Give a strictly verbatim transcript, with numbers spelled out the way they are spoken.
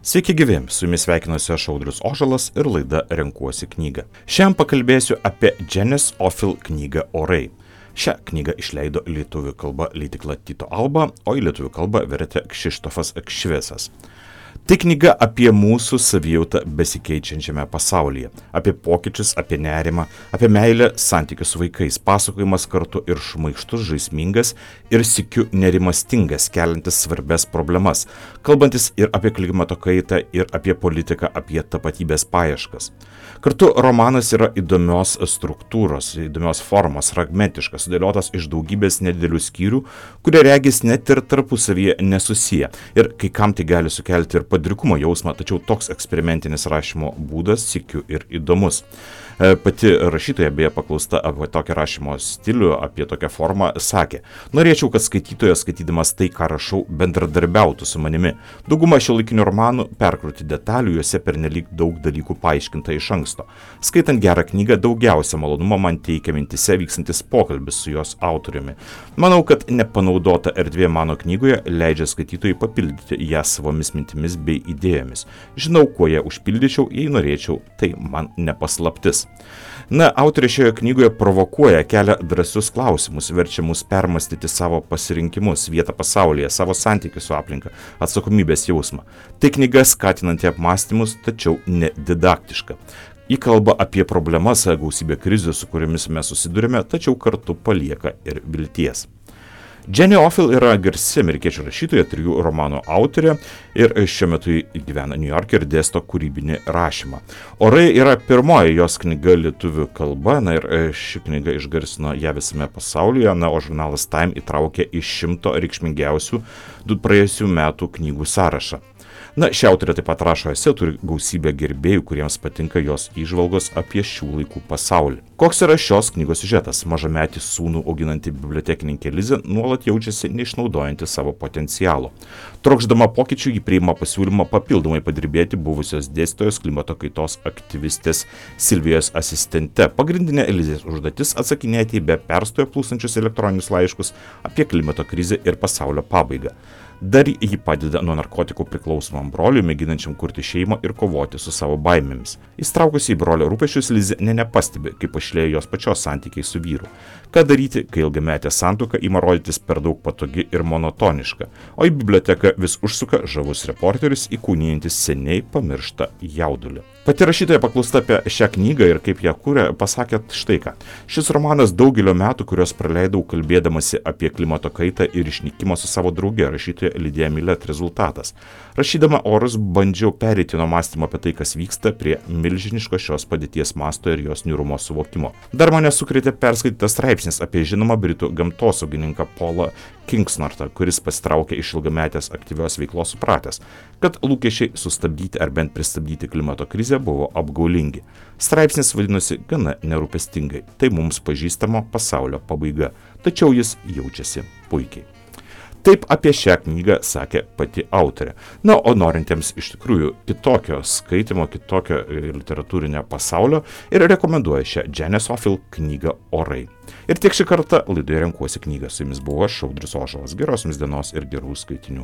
Sveiki gyvi, su jumis sveikinuosi aš Audrius Ožalas ir laida Renkuosi knygą. Šiandien pakalbėsiu apie Janice Ofil knygą Orai. Šią knygą išleido lietuvių kalba leidykla Tyto Alba, o į lietuvių kalbą vertė Kšištofas Kšvesas. Tai knyga apie mūsų savijautą besikeičiančiame pasaulyje, apie pokyčius, apie nerimą, apie meilę, santykius su vaikais, pasakojimas kartu ir šmaikštus, žaismingas ir sykiu nerimastingas, keliantis svarbias problemas, kalbantis ir apie klimato kaitą, ir apie politiką, apie tapatybės paieškas. Kartu romanas yra įdomios struktūros, įdomios formos, fragmentiškas, sudėliotas iš daugybės nedidelių skyrių, kurie regis net ir tarpusavyje nesusiję. Ir kai kam tai gali sukelti ir padrikumo jausmą, tačiau toks eksperimentinis rašymo būdas sykiu ir įdomus. Pati rašytoja beje paklausta apie tokią rašymo stilių, apie tokią formą, sakė: norėčiau, kad skaitytojas, skaitydamas tai, ką rašau, bendradarbiautų su manimi. Dauguma šiuolaikinių romanų perkrauti detalių, juose pernelyg daug dalykų paaiškinta iš anksto. Skaitant gerą knygą, daugiausia malonumo man teikia mintise vykstantis pokalbis su jos autoriumi. Manau, kad nepanaudota erdvė mano knygoje leidžia skaitytojui papildyti ją savomis mintimis bei idėjomis. Žinau, kuo ją užpildyčiau, jei norėčiau, tai man nepaslaptis. Na, autorė šioje knygoje provokuoja, kelia drąsius klausimus, verčia mus permastyti savo pasirinkimus, vietą pasaulyje, savo santykių su aplinka, atsakomybės jausmą. Tai knyga skatinanti apmąstymus, tačiau nedidaktiška. Ji kalba apie problemas, gausybę krizių, su kuriomis mes susidurime, tačiau kartu palieka ir vilties. Janice Ofil yra garsi amerikiečių rašytoja, trijų romanų autorė ir šiuo metu gyvena New York ir dėsto kūrybinį rašymą. Orai yra pirmoji jos knyga lietuvių kalba, na ir ši knyga išgarsino ją visame pasaulyje, na, o žurnalas Time įtraukė iš šimto reikšmingiausių du praėjusių metų knygų sąrašą. Na, ši autorė taip pat rašo esė, turi gausybę gerbėjų, kuriems patinka jos įžvalgos apie šių laikų pasaulį. Koks yra šios knygos siužetas? Mažametį sūnų auginanti bibliotekininkė Lizė nuolat jaučiasi neišnaudojanti savo potencialo. Trokšdama pokyčių, ji priima pasiūlymą papildomai padirbėti buvusios dėstytojos klimato kaitos aktyvistės Silvijos asistente. Pagrindinė Lizės užduotis atsakinėti į be perstojo plūstančius elektroninius laiškus apie klimato krizę ir pasaulio pabaigą. Dar ji padeda nuo narkotikų priklausomam broliui, mėginančiam kurti šeimą ir kovoti su savo baimėmis. Įstraukusi į brolio rūpesčius, Lizė nė nepastebi, kaip pašlėjo jos pačios santykiai su vyru. Ką daryti, kai ilgametė santuoka ima rodytis per daug patogi ir monotoniška, o į biblioteką vis užsuka žavus reporteris, įkūnijantis seniai pamirštą jaudulį. Pati rašytoja paklausta apie šią knygą ir kaip ją kūrė, pasakė štai ką. Šis romanas daugelio metų, kuriuos praleidau kalbėdamasi apie klimato kaitą ir išnykimą su savo drauge, rašytoja Lidija Milet rezultatas. Rašydama Orus bandžiau pereiti nuo mąstymo apie tai, kas vyksta, prie milžiniško šios padėties masto ir jos niūrumo suvokimo. Dar mane sukrėtė perskaitytas straipsnis apie žinomą britų gamtosaugininką Paulą Kingsnortą, kuris pasitraukė iš ilgametės aktyvios veiklos supratęs, kad lūkesčiai sustabdyti ar bent pristabdyti klimato krizę buvo apgaulingi. Straipsnis vadinosi gana nerūpestingai. Tai mums pažįstamo pasaulio pabaiga, tačiau jis jaučiasi puikiai. Taip apie šią knygą sakė pati autorė. Na, o norintiems iš tikrųjų kitokio skaitimo, kitokio literatūrinio pasaulio ir rekomenduoja šią Janice Ofil knygą Orai. Ir tiek šį kartą laidoje Renkuosi knygą. Su jumis buvo aš, Audrius Ožalas. Geros jums dienos ir gerų skaitinių.